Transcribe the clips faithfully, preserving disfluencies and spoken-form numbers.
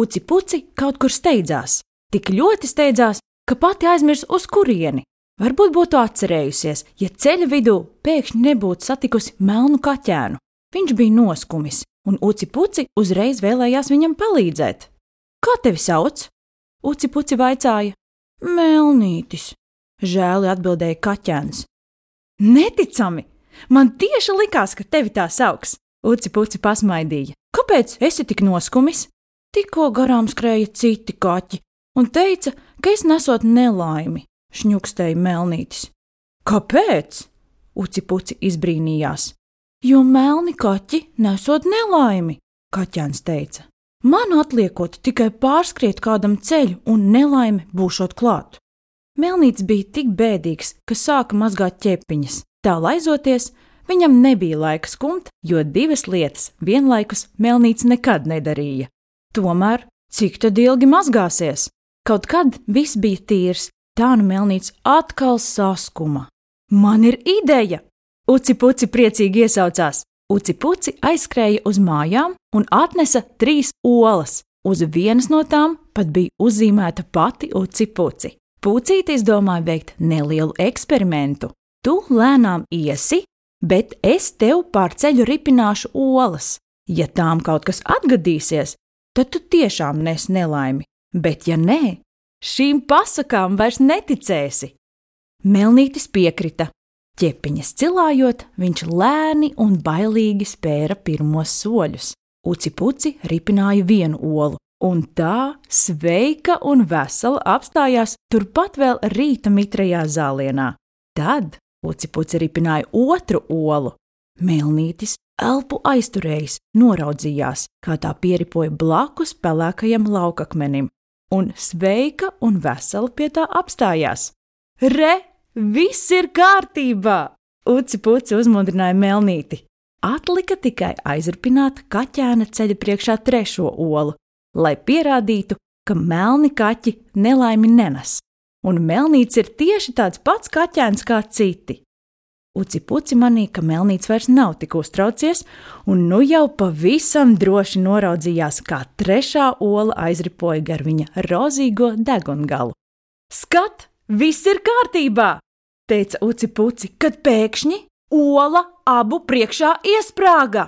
Uci Puci kaut kur steidzās. Tik ļoti steidzās, ka pati aizmirs uz kurieni. Varbūt būtu atcerējusies, ja ceļa vidū pēkšņi nebūtu satikusi melnu kaķēnu. Viņš bija noskumis, un Uci Puci uzreiz vēlējās viņam palīdzēt. Kā tevi sauc? Uci Puci vaicāja. Melnītis, žēli atbildēja kaķēns. Neticami! Man tieši likās, ka tevi tā sauks. Uci Puci pasmaidīja. Kāpēc esi tik noskumis? Tikko garām skrēja citi kaķi un teica, ka es nesot nelaimi, šņukstēja Melnītis. Kāpēc? Uci Puci izbrīnījās. Jo melni kaķi nesot nelaimi, kaķēns teica. Man atliekot tikai pārskriet kādam ceļu un nelaime būšot klāt. Melnītis bija tik bēdīgs, ka sāka mazgāt ķepiņas. Tā laizoties, viņam nebija laika skumt, jo divas lietas vienlaikus Melnītis nekad nedarīja. Tomēr, cik tad ilgi mazgāsies? Kaut kad viss bija tīrs, tā nu Melnītis atkal saskuma. Man ir ideja! Uci Puci priecīgi iesaucās. Uci Puci aizskrēja uz mājām un atnesa trīs olas. Uz vienas no tām pat bija uzzīmēta pati Uci Puci. Pucītis domāja veikt nelielu eksperimentu. Tu lēnām iesi, bet es tev pār ceļu ripināšu olas. Ja tām kaut kas atgadīsies, tad tu tiešām nes nelaimi. Bet ja nē, šīm pasakām vairs neticēsi. Melnītis piekrita. Ķepiņas cilājot, viņš lēni un bailīgi spēra pirmos soļus. Uci Puci ripināja vienu olu, un tā sveika un vesela apstājās turpat vēl rīta mitrajā zālienā. Tad Uci Puci ripināja otru olu. Melnītis elpu aizturējis, noraudzījās, kā tā pieripoja blakus pelēkajam laukakmenim, un sveika un vesela pie tā apstājās. Re! Viss ir kārtībā! Uci Puci uzmundrināja Melnīti. Atlika tikai aizripināt kaķēna ceļa priekšā trešo olu, lai pierādītu, ka melni kaķi nelaimi nenes. Un Melnītis ir tieši tāds pats kaķēns kā citi. Uci Puci manīja, ka Melnītis vairs nav tik uztraucies, un nu jau pavisam droši noraudzījās, kā trešā ola aizripoja gar viņa rozīgo degungalu. Skat! Viss ir kārtībā, teica Uci Puci, kad pēkšņi ola abu priekšā iesprāga.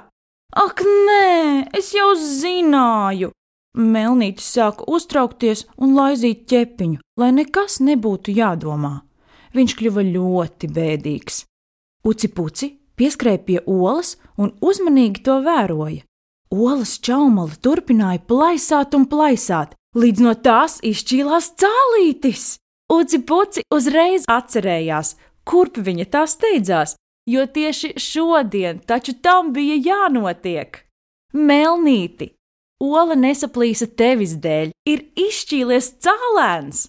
Ak, nē, es jau zināju. Melnītis sāka uztraukties un laizīt ķepiņu, lai nekas nebūtu jādomā. Viņš kļuva ļoti bēdīgs. Uci Puci pieskrēja pie olas un uzmanīgi to vēroja. Olas čaumala turpināja plaisāt un plaisāt, līdz no tās izšķīlās cālītis. Uci Puci uzreiz atcerējās, kurp viņa tā steidzās, jo tieši šodien taču tam bija jānotiek. Melnīti, ola nesaplīsa tevis dēļ, ir izšķīlies cālēns.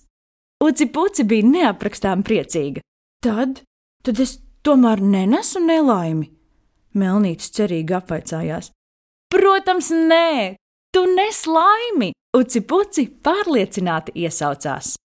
Uci Puci bija neaprakstām priecīga. Tad, tad es tomēr nenesu nelaimi? Melnītis cerīgi apvaicājās. Protams, nē, tu nes laimi, Uci Puci pārliecināti iesaucās.